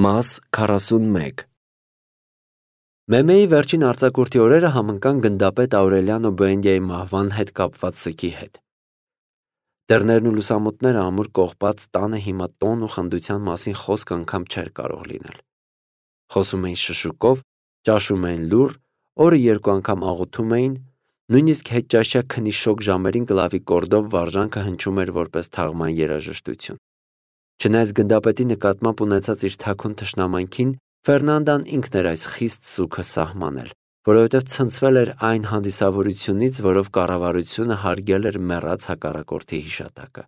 Մաս 41 Մեմեի վերջին արձակուրդի օրերը համընկան գնդապետ Աուրելիանո Բուենդիայի մահվան հետ կապված սգի հետ։ Դռներն ու լուսամուտները ամուր կողպած տանը հիմա տոն ու խնդության մասին խոսք անգամ չէր կարող լինել։ Խոսում էին շշուկով, ճաշում էին լուռ, օրը երկու անգամ աղոթում էին, նույնիսկ հետճաշյա քնի շոգ ժամերին կլավիկորդով վարժանքը հնչում էր որպես թաղման երաժշտություն։ Չնայած գնդապետի նկատմամբ ունեցած իր թաքուն թշնամանքին, Ֆերնանդան ինքն էր այս խիստ սուգը սահմանել, որովհետև ցնցվել էր այն հանդիսավորությունից, որով կառավարությունը հարգել էր մեռած հակառակորդի հիշատակը։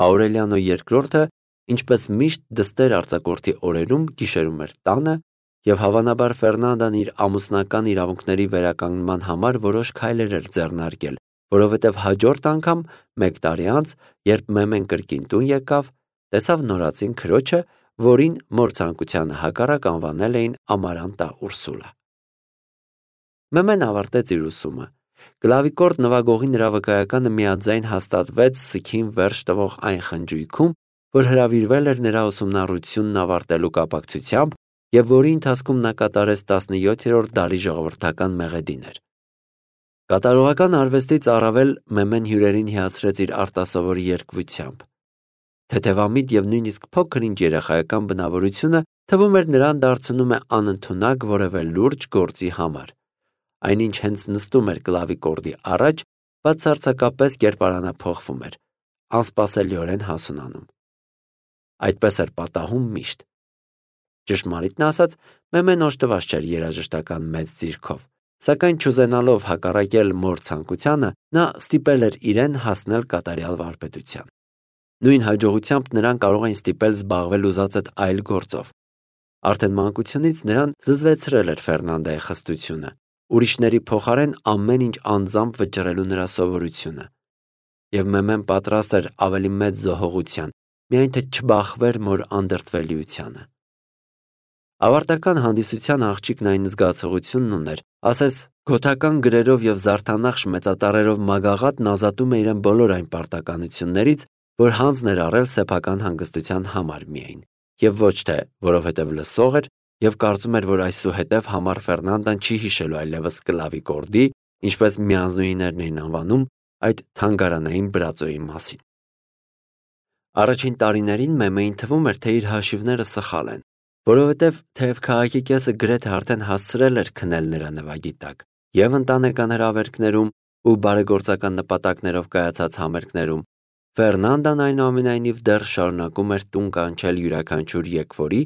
Աուրելիանո II, ինչպես միշտ դստեր արձակորդի օրերում, գիշերում էր տանը, եւ հավանաբար Ֆերնանդան իր ամուսնական իրավունքների վերականգնման համար որոշ քայլեր էր ձեռնարկել, որովհետև հաջորդ անգամ, մեկ տարի անց, երբ Մեմեն կրկին տուն եկավ, տեսավ նորածին քրոջը, որին մոր ցանկությանը հակառակ անվանել էին Ամարանտա Ուրսուլա։ Մեմեն ավարտեց իր ուսումը։ Կլավիկորդ նվագողի նրա վկայականը միաձայն հաստատվեց սգին վերջ տվող այն խնջույքում, որ հրավիրվել էր նրա ուսումնառությունն ավարտելու կապակցությամբ եւ որի ընթացքում նա կատարեց 17-րդ դարի ժողովրդական մեղեդիներ։ Կատարողական արվեստից առավել Մեմեն հյուրերին հիացրեց իր արտասովոր երգվությամբ։ Թեթևամիտ եւ նույնիսկ փոքր-ինչ երեխայական բնավորությունը թվում էր նրան դարձնում է անընդունակ որևէ լուրջ գործի համար։ Այնինչ հենց նստում էր կլավիկորդի առաջ, բացարձակապես կերպարանափոխվում էր, անսպասելիորեն հասունանում։ Այդպես էր պատահում միշտ։ Ճշմարիտն ասած, Մեմեն օժտված չէր երաժշտական մեծ ձիրքով, սակայն չուզենալով հակառակել մոր ցանկությանը, նա ստիպել էր իրեն հասնել կատարյալ վարպետության։ Նույն հաջողությամբ նրան կարող էին ստիպել զբաղվել ուզած այդ այլ գործով։ Արդեն մանկությունից նրան զզվեցրել էր Ֆերնանդայի խստությունը, ուրիշների փոխարեն ամեն ինչ անձամբ վճռելու նրա սովորությունը։ Եվ Մեմեն պատրաստ էր ավելի մեծ զոհողության, միայն թե չբախվեր մոր անդրդվելիությանը։ Ավարտական հանդիսության աղջիկն այն զգացողությունն ուներ, ասես գոթական գրերով եւ զարդանախշ մեծատառերով մագաղատն ազատում է իրեն բոլոր այն պարտականություններից, որ հանձն էր առել սեփական հանգստության համար միայն, եւ ոչ թե որովհետեւ լսող էր եւ կարծում էր, որ այսուհետեւ համար Ֆերնանդան չի հիշելու այլևս կլավիկորդի, ինչպես միանձնուհիներն էին անվանում, այդ թանգարանային բրածոյի մասին։ Առաջին տարիներին Մեմեին թվում էր, թե իր հաշիվները սխալ են, որովհետեւ թեև քաղաքի կեսը գրեթե արդեն հասցրել էր քնել նրա նվագի տակ, եւ ընտանեկան հրավերքներում ու բարեգործական նպատակներով կայացած համերգներում, Ֆերնանդան այնուամենայնիվ դեռ շարունակում էր տուն կանչել յուրաքանչյուր եկվորի,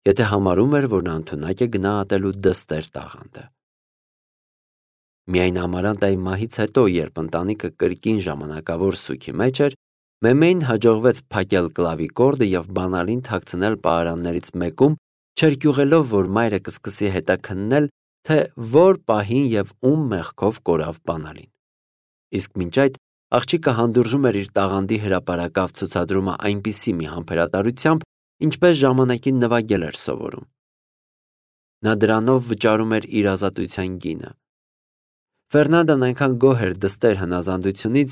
եթե համարում էր, որ նա ընդունակ է գնահատելու դստեր տաղանդը։ Միայն Ամարանտայի մահից հետո, երբ ընտանիքը կրկին ժամանակավոր սուգի մեջ էր, Մեմեին հաջողվեց փակել կլավիկորդը եւ բանալին թաքցնել պահարաններից մեկում, չերկյուղելով, որ մայրը կսկսի հետաքննել, թե որ պահին եւ ում մեղքով կորավ բանալին։ Իսկ մինչ այդ աղջիկը հանդուրժում էր իր տաղանդի հրապարակավ ցուցադրումը այնպիսի մի համբերատարությամբ, ինչպես ժամանակին նվագել էր սովորում։ Նա դրանով վճարում էր իր ազատության գինը։ Ֆերնանդան այնքան գոհ էր դստեր հնազանդությունից,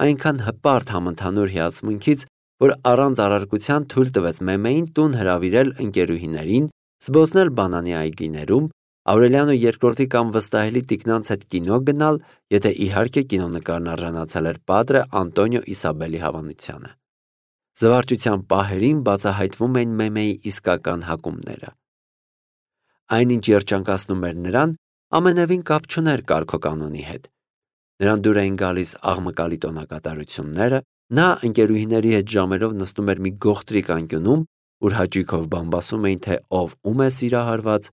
այնքան հպարտ համընդհանուր հիացմունքից, որ առանց առարկության թույլ տվեց Մեմեին տուն հրավիրել ընկերուհիներին, զբոսնել բանանի այգիներում, Աուրելիանո II կամ վստահելի տիկնանց հետ կինո գնալ, եթե իհարկե կինոնկարն արժանացել էր պատրը Անտոնիո Իսաբելի հավանությանը։ Զվարճության պահերին բացահայտվում էին Մեմեի իսկական հակումները։ Այնինչ երջանկացնում էր նրան, ամենևին կապ չուներ կարգոկանոնի հետ։ Նրան դուր էին գալիս աղմկալի տոնակատարությունները, նա ընկերուհիների հետ ժամերով նստում էր մի գողտրիկ անկյունում, ուր հաճույքով բամբասում էին, թե ով ում է սիրահարված,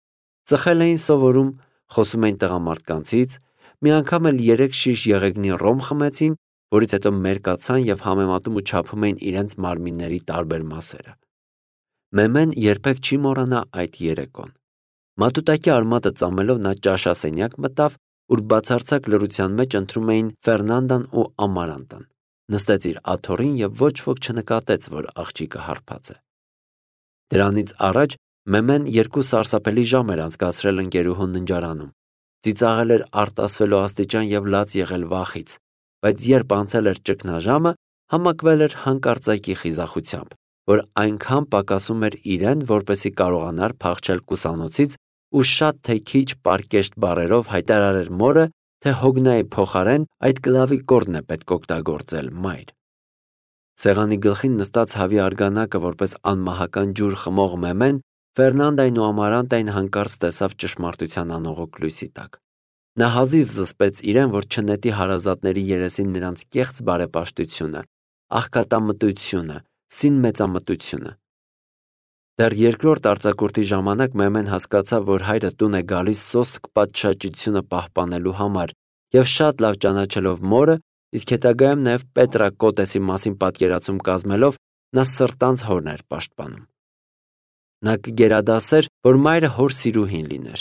ծխել էին սովորում, խոսում էին տղամարդկանցից, մի անգամ էլ 3 շիշ եղեգնի ռոմ խմեցին, որից հետո մերկացան եւ համեմատում ու չափում էին իրենց մարմինների տարբեր մասերը։ Մեմեն երբեք չի մոռանա այդ երեկոն։ Մատուտակի արմատը ծամելով նա ճաշասենյակ մտավ, ուր բացարձակ լռության մեջ ընթրում էին Ֆերնանդան ու Ամարանտան։ Նստեց իր աթոռին եւ ոչ ոք չնկատեց, որ աղջիկը հարբած է։ Դրանից առաջ Մեմեն 2 սարսափելի ժամ էր անցկացրել ընկերուհու ննջարանում։ Ծիծաղել էր արտասվելու աստիճան եւ լաց եղել վախից, բայց երբ անցել էր ճգնաժամը, համակվել էր հանկարծակի խիզախությամբ, որ այնքան պակասում էր իրեն, որպեսզի կարողանար փախչել կուսանոցից ու շատ թե քիչ պարկեշտ բառերով հայտարարեր մորը, թե Հոգնայի փոխարեն այդ կլավի կորն է պետք օգտագործել, մայր։ Սեղանի գլխին նստած հավի արգանակը որպես անմահական ջուր խմող Մեմեն Ֆերնանդային ու Ամարանտային հանկարծ տեսավ ճշմարտության անողոք լույսի տակ։ Նա հազիվ զսպեց իրեն, որ չնետի հարազատների երեսին նրանց կեղծ բարեպաշտությունը, աղքատամտությունը, սին մեծամտությունը։ Դեռ երկրորդ արձակուրդի ժամանակ Մեմեն հասկացավ, որ հայրը տուն է գալիս սոսկ պատշաճությունը պահպանելու համար և շատ լավ ճանաչելով մորը, իսկ հետագայում նաև Պետրա Կոտեսի մասին պատկերացում կազմելով, նա սրտանց հորն էր պաշտպանում։ Նա կգերադասեր, որ մայրը հոր սիրուհին լիներ։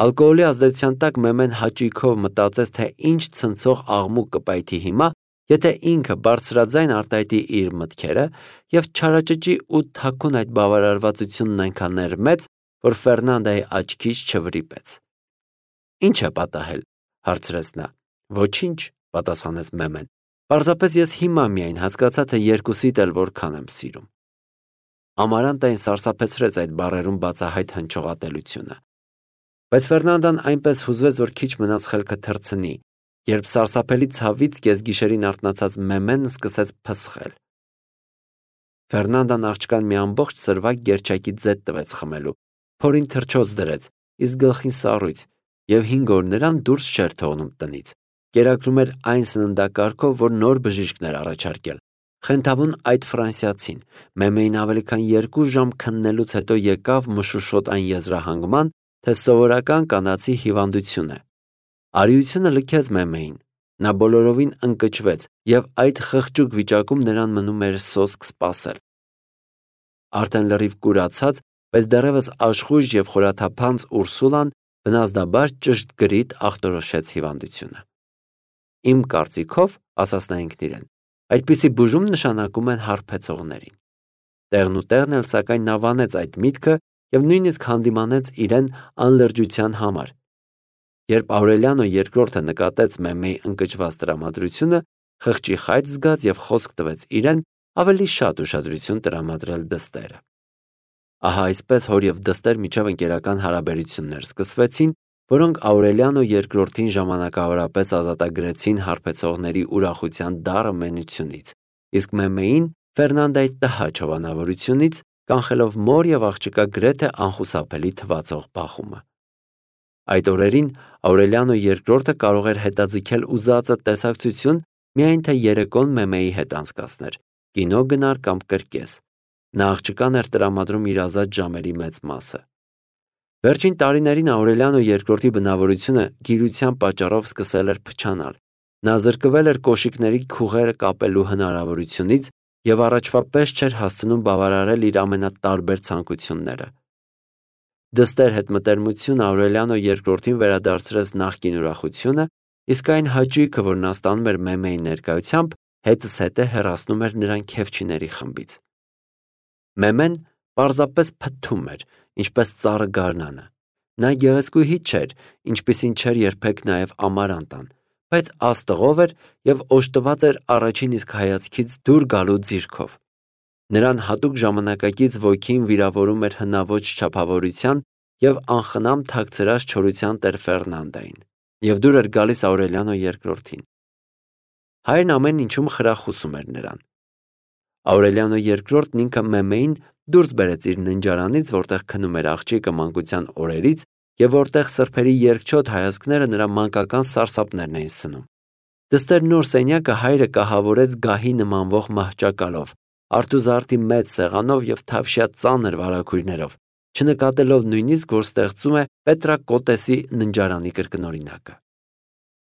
Ալկոհոլի ազդեցության տակ Մեմեն հաճույքով մտածեց, թե ինչ ցնցող աղմուկ կպայթի հիմա, եթե ինքը բարձրաձայն արտահայտի իր մտքերը և չարաճճի ու թաքուն այդ բավարարվածությունն այնքան էր մեծ, որ Ֆերնանդայի աչքից չվրիպեց։ «Ինչ է պատահել», հարցրեց նա։ «Ոչինչ», պատասխանեց Մեմեն։ «Պարզապես ես հիմա միայն հասկացա, թե երկուսիդ էլ որքան եմ սիրում»։ Ամարանտային սարսափեցրեց այդ բառերում բացահայտ հնչողատելությունը։ Բայց Ֆերնանդան այնպես հուզվեց, որ քիչ մնաց խելքը թռցնի, երբ սարսափելի ցավից կեսգիշերին արթնացած Մեմենն սկսեց փսխել։ Ֆերնանդան աղջկան մի ամբողջ սրվակ գերչակի ձետ տվեց խմելու, փորին թռչոց դրեց, իսկ գլխին սառույց, և 5 օր նրան դուրս չէր թողնում տնից։ Կերակրում էր այն սննդակարգով, որ նոր բժիշկն էր առաջարկել։ Խենթավուն այդ ֆրանսիացին Մեմեին ավելի քան 2 ժամ քննելուց հետո եկավ մշուշոտ այն եզրահանգման, թե սովորական կանացի հիվանդություն է։ Արիությունը լքեց Մեմեին։ Նա բոլորովին ընկճվեց, և այդ խղճուկ վիճակում նրան մնում էր սոսկ սպասել։ Արդեն լրիվ կուրացած, բայց դեռևս աշխույժ և խորաթափանց Ուրսուլան բնազդաբար ճշգրիտ ախտորոշեց հիվանդությունը։ «Իմ կարծիքով, ասաց նա ինքն իրեն, այդպիսի բուժում նշանակում են հարբեցողներին»։ Տեղն ու տեղն էլ սակայն նա վանեց այդ միտքը և նույնիսկ հանդիմանեց իրեն անլրջության համար։ Երբ Աուրելիանո երկրորդը նկատեց Մեմեի ընկճված տրամադրությունը, խղճի խայծ զգաց և խոսք տվեց իրեն ավելի շատ ուշադրություն տրամադրել դստերը։ Ահա այսպես հոր և դստեր միջև ընկերական հարաբերություններ սկսվեցին, որոնք Աուրելիանո երկրորդին ժամանակավորապես ազատագրեցին հարբեցողների ուրախության դառը մենությունից, իսկ Մեմեին Ֆերնանդայի տհաճ հովանավորությունից, կանխելով մոր և աղջկա գրեթե անխուսափելի թվացող բախումը։ Այդ օրերին Աուրելիանո երկրորդը կարող էր հետաձգել ուզածը տեսակցություն, միայն թե երեկոն Մեմեի հետ անցկացներ, կինո գնար կամ կրկես։ Նա աղջկան էր տրամադրում իր ազատ ժամերի մեծ մասը։ Վերջին տարիներին Աուրելիանո երկրորդի բնավորությունը գիրության պատճառով սկսել էր փչանալ։ Նա զրկվել էր կոշիկների քուղերը կապելու հնարավորությունից և առաջվա պես չէր հասցնում բավարարել իր ամենատարբեր ցանկությունները։ Դստեր հետ մտերմությունը Աուրելիանո երկրորդին վերադարձրեց նախկին ուրախությունը, իսկ այն հաճույքը, որ նա ստանում էր Մեմեի ներկայությամբ, հետզհետե հեռացնում էր նրան քեֆչիների խմբից։ Մեմեն պարզապես փթթում էր, ինչպես ծառը գարնանը։ Նա գեղեցկուհի չէր, ինչպիսին չէր երբեք նաև Ամարանտան, բայց աստղով էր և օժտված էր առաջին իսկ հայացքից դուր գալու ձիրքով։ Նրան հատուկ ժամանակակից ոգին վիրավորում էր հնաոճ չափավորության և անխնամ թաքցրած չորության տեր Ֆերնանդային, և դուր էր գալիս Աուրելիանո երկրորդին։ Հայրն ամեն ինչում խրախուսում էր նրան։ Աուրելիանո երկրորդն ինքը Մեմեին դուրս բերեց իր ննջարանից, որտեղ քնում էր աղջիկը մանկության օրերից և որտեղ սրբերի երկչոտ հայացքները նրա մանկական սարսափներն էին սնում։ Դստեր նոր սենյակը հայրը կահավորեց գահի նմանվող մահճակալով, արթուզարտի մեծ սեղանով և թավշյա ծանր վարագույրներով, չնկատելով նույնիսկ, որ ստեղծում է Պետրա Կոտեսի ննջարանի կրկնօրինակը։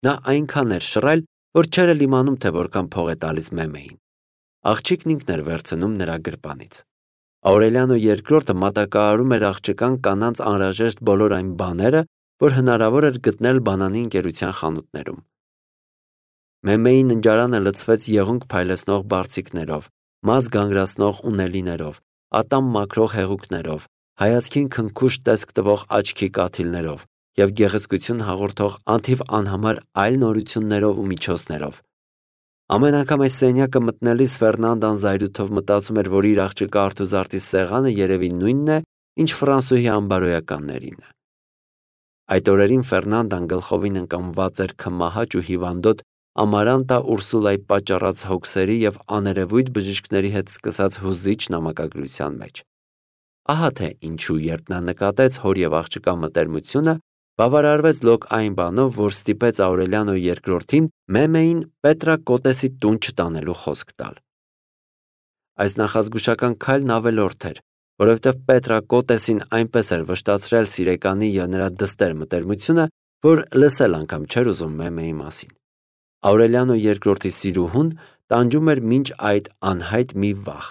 Նա այնքան էր շռայլ, որ չէր էլ իմանում, թե որքան փող է տալիս Մեմեին։ Աղջիկն ինքն էր վերցնում նրա գրպանից։ Աուրելիանո երկրորդը մատակարարում էր աղջկան կանանց անհրաժեշտ բոլոր այն բաները, որ հնարավոր էր գտնել բանանի ընկերության խանութներում։ Մեմեի ննջարանը լցվեց եղունգ փայլեցնող բարձիկներով, մազ գանգրացնող ունելիներով, ատամ մաքրող հեղուկներով, հայացքին քնքուշ տեսք տվող աչքի կաթիլներով և գեղեցկություն հաղորդող անթիվ անհամար այլ նորություններով ու միջոցներով։ Ամեն անգամ այս սենյակը մտնելիս Ֆերնանդան զայրույթով մտածում էր, որ իր աղջկա արթուզարտի սեղանը երևի նույնն է, ինչ ֆրանսուհի ամբարոյականներինը։ Այդ օրերին Ֆերնանդան գլխովին ընկամված էր քմահաճ ու հիվանդոտ Ամարանտա Ուրսուլայի պատճառած հոգսերի եւ աներևույթ բժիշկների հետ սկսած հուզիչ նամակագրության մեջ։ Ահա թե ինչու, երբ նա նկատեց հոր եւ աղջկա մտերմությունը, բավարարվեց լոկ այն բանով, որ ստիպեց Աուրելիանո երկրորդին Մեմեին Պետրակոտեսի տուն չտանելու խոսք տալ։ Այս նախազգուշական քայլն ավելորդ էր, որովհետև Պետրակոտեսին այնպես էր վշտացրել սիրեկանի եւ նրա դստեր մտերմությունը, որ լսել անգամ չէր ուզում Մեմեի մասին։ Աուրելիանո երկրորդի սիրուհուն տանջում էր մինչ այդ անհայտ մի վախ։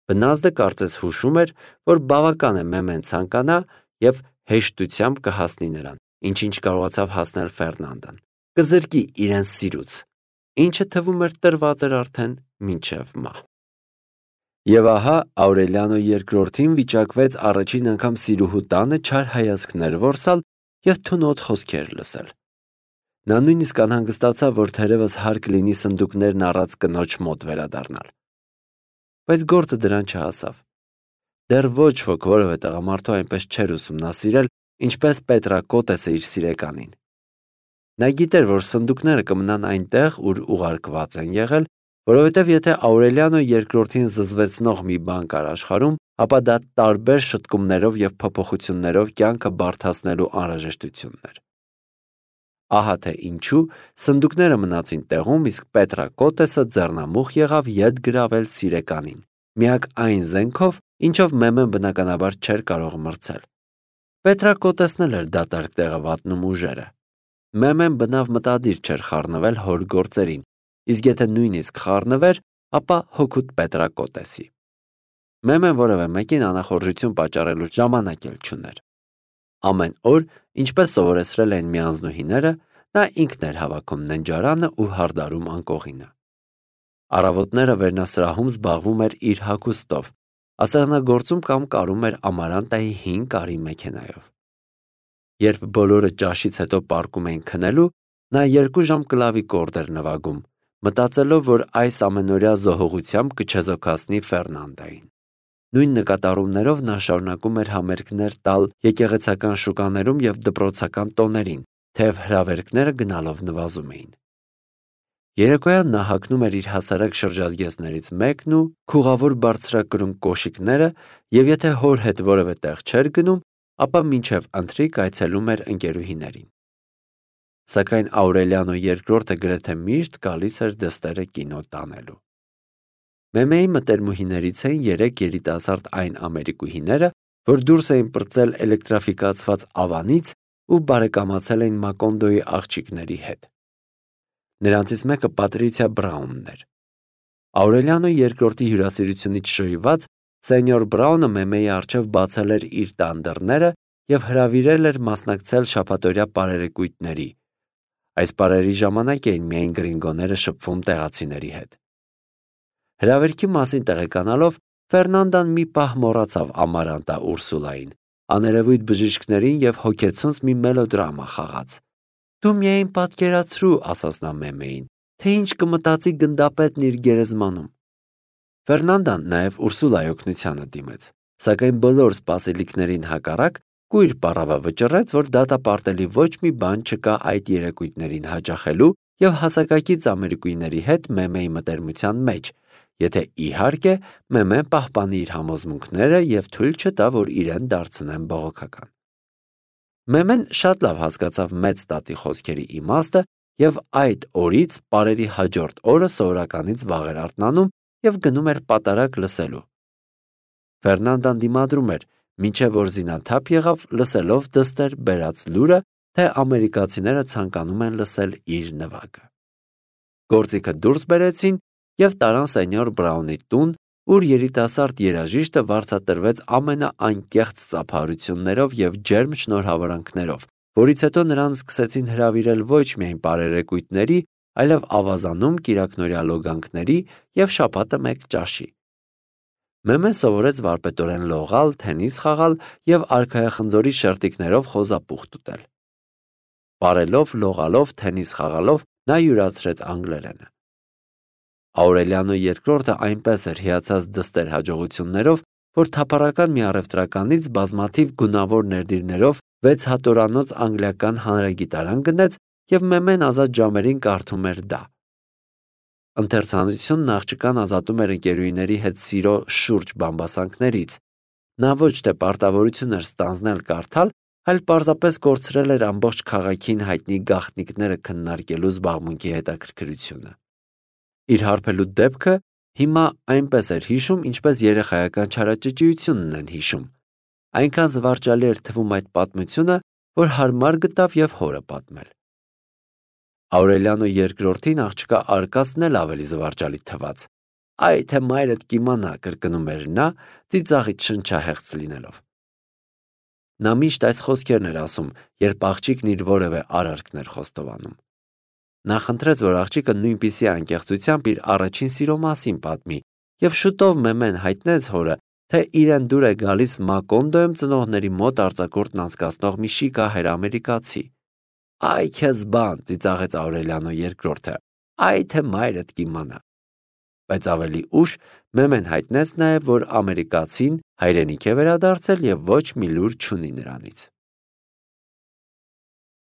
Բնազդը կարծես հուշում էր, որ բավական է Մեմեն ցանկանա եւ հեշտությամբ կհասնի նրան, ինչ կարողացավ հասնել Ֆերնանդան։ Կզրկի իրեն սիրուց, ինչը թվում էր տրված էր արդեն մինչև մահ։ Եվ ահա Աուրելիանո երկրորդին վիճակվեց առաջին անգամ սիրուհու տանը չար հայացքներ որսալ եւ թունոտ խոսքեր լսել։ Նա նույնիսկ անհանգստացավ, որ թերևս հարկ լինի սնդուկներն առած կնոջ մոտ վերադառնալ։ Բայց գործը դրան չհասավ։ Դեռ ոչ ոք որևէ տղամարդու այնպես չէր ուսումնասիրել, ինչպես Պետրակոտեսը իր սիրեկանին։ Նա գիտեր, որ սնդուկները կմնան այնտեղ, ուր ուղարկված են եղել, որովհետև եթե Աուրելիանո երկրորդին զզվեցնող մի բան կար աշխարհում, ապա դա տարբեր շտկումներով եւ փոփոխություններով կյանքը բարդացնելու անհրաժեշտությունն էր։ Ահա թե ինչու սնդուկները մնացին տեղում, իսկ Պետրակոտեսը ձեռնամուխ եղավ ետ գրավել սիրեկանին, միակ այն զենքով, ինչով Մեմեն բնականաբար չէր կարող մրցել։ Պետրակոտեսն էլ էր դատարկ տեղը վատնում ուժերը։ Մեմեն բնավ մտադիր չէր խառնվել հոր գործերին, իսկ եթե նույնիսկ խառնվեր, ապա հօգուտ Պետրակոտեսի։ Մեմեն որևէ մեկին անախորժություն պատճառելու ժամանակ էլ չուներ։ Ամեն օր, ինչպես սովորեցրել են միանձնուհիները, նա ինքն էր հավաքում ննջարանը ու հարդարում անկողինը։ Առավոտները վերնասրահում զբաղվում էր իր հագուստով, ասեղնագործում կամ կարում էր Ամարանտայի հին կարի մեքենայով։ Երբ բոլորը ճաշից հետո պառկում էին քնելու, նա 2 ժամ կլավի կորդ էր նվագում, մտածելով, որ այս ամենօրյա զոհողությամբ կչեզոքացնի Ֆերնանդային։ Նույն նկատառումներով նա շարունակում էր համերգներ տալ եկեղեցական շուկաներում եւ դպրոցական տոներին, թեև հրավերքները գնալով նվազում էին։ Երեկոյան նա հագնում էր իր հասարակ շրջազգեստներից մեկն ու քուղավոր բարձրակրուն կոշիկները եւ եթե հոր հետ որևէ տեղ չէր գնում, ապա մինչև ընթրիք այցելում էր ընկերուհիներին։ Սակայն Աուրելիանո երկրորդը գրեթե միշտ գալիս էր դստերը կինո տանելու։ Մեմեի մտերմուհիներից էին 3 երիտասարդ այն ամերիկուհիները, որ դուրս էին պրծել էլեկտրաֆիկացված ավանից ու բարեկամացել էին Մակոնդոյի աղջիկների հետ։ Նրանցից մեկը Պատրիցիա Բրաունն էր։ Աուրելիանո երկրորդի հյուրասիրությունից շոյված սենյոր Բրաունը Մեմեի առջև բացել էր իր տան դռները եւ հրավիրել էր մասնակցել շաբաթօրյա պարերեկույթների։ Այս պարերի ժամանակ էին միայն գրինգոները շփվում տեղացիների հետ։ Հրավերքի մասին տեղեկանալով Ֆերնանդան մի պահ մոռացավ Ամարանտա Ուրսուլային, աներևույթ բժիշկներին եւ հոգեցունց մի մելոդրամա խաղաց։ Դու միայն պատկերացրու, ասաց նա Մեմեին, թե ինչ կմտածի գնդապետն իր գերեզմանում։ Ֆերնանդան նաեւ Ուրսուլայի օգնությանը դիմեց, սակայն բոլոր սպասելիքներին հակառակ կույր պառավը վճռեց, որ դատապարտելի ոչ մի բան չկա այդ երեկույթներին հաճախելու եւ հասակակից ամերիկուիների հետ Մեմեի մտերմության մեջ, եթե իհարկե Մեմեն պահպանի իր համոզմունքները եւ թույլ չտա, որ իրեն դարձնեն բողոքական։ Մեմեն շատ լավ հասկացավ մեծ տատի խոսքերի իմաստը եւ այդ օրից պարերի հաջորդ օրը սովորականից վաղ էր արթնանում եւ գնում էր պատարագ լսելու։ Ֆերնանդան դիմադրում էր, մինչև որ զինաթափ եղավ լսելով դստեր բերած լուրը, թե ամերիկացիները ցանկանում են լսել իր նվագը։ Գործիքը դուրս բերեցին եւ տարան սենյոր Բրաունի տուն, ուր երիտասարդ երաժիշտը վարձատրվեց ամենաանկեղծ ծափահարություններով եւ ջերմ շնորհավորանքներով, որից հետո նրան սկսեցին հրավիրել ոչ միայն պարերեկույթների, այլև ավազանում կիրակնօրյա լոգանքների եւ շաբաթը մեկ ճաշի։ Մեմեն սովորեց վարպետորեն լողալ, թենիս խաղալ եւ արքայախնձորի շերտիկներով խոզապուխտ ուտել։ Պարելով, լողալով, թենիս խաղալով նա յուրացրեց անգլերենը։ Աուրելիանո II այնպես էր հիացած դստեր հաջողություններով, որ թափառական մի առևտրականից բազմաթիվ գունավոր ներդիրներով 6 հատորանոց անգլիական հանրագիտարան գնեց և մեմեն ազատ ժամերին կարդում էր դա։ Ընթերցանությունն աղջկան ազատում էր ընկերուհիների հետ սիրո շուրջ բամբասանքներից։ Նա ոչ թե պարտավորություն էր ստանձնել կարդալ, այլ պարզապես կորցրել էր ամբողջ քաղաքին հայտնի գաղտնիքները քննարկելու զբաղմունքի հետաքրքրությունը։ Իր հարբելու դեպքը հիմա այնպես էր հիշում, ինչպես երեխայական չարաճճիությունն են հիշում։ Այնքան զվարճալի էր թվում այդ պատմությունը, որ հարմար գտավ և հորը պատմել։ Աուրելիանո II-ին աղջկա արկածն էլ ավելի զվարճալի թվաց։ «Այ թե մայրդ կիմանա», կրկնում էր նա, ծիծաղից շնչահեղձ լինելով։ Նա միշտ այս խոսքերն էր ասում, երբ աղջիկն իր որևէ արարքն էր խոստովանում։ Նա խնդրեց, որ աղջիկը նույնպիսի անկեղծությամբ իր առաջին սիրո մասին պատմի, և շուտով մեմեն հայտնեց հորը, թե իրեն դուր է գալիս Մակոնդոյում ծնողների մոտ արձակուրդն անցկացնող մի շիկահեր ամերիկացի։ «Այ քեզ բան», ծիծաղեց Աուրելիանո II, «այ թե մայրդ կիմանա»։ Բայց ավելի ուշ մեմեն հայտնեց նաև, որ ամերիկացին հայրենիք է վերադարձել և ոչ մի լուր չունի նրանից։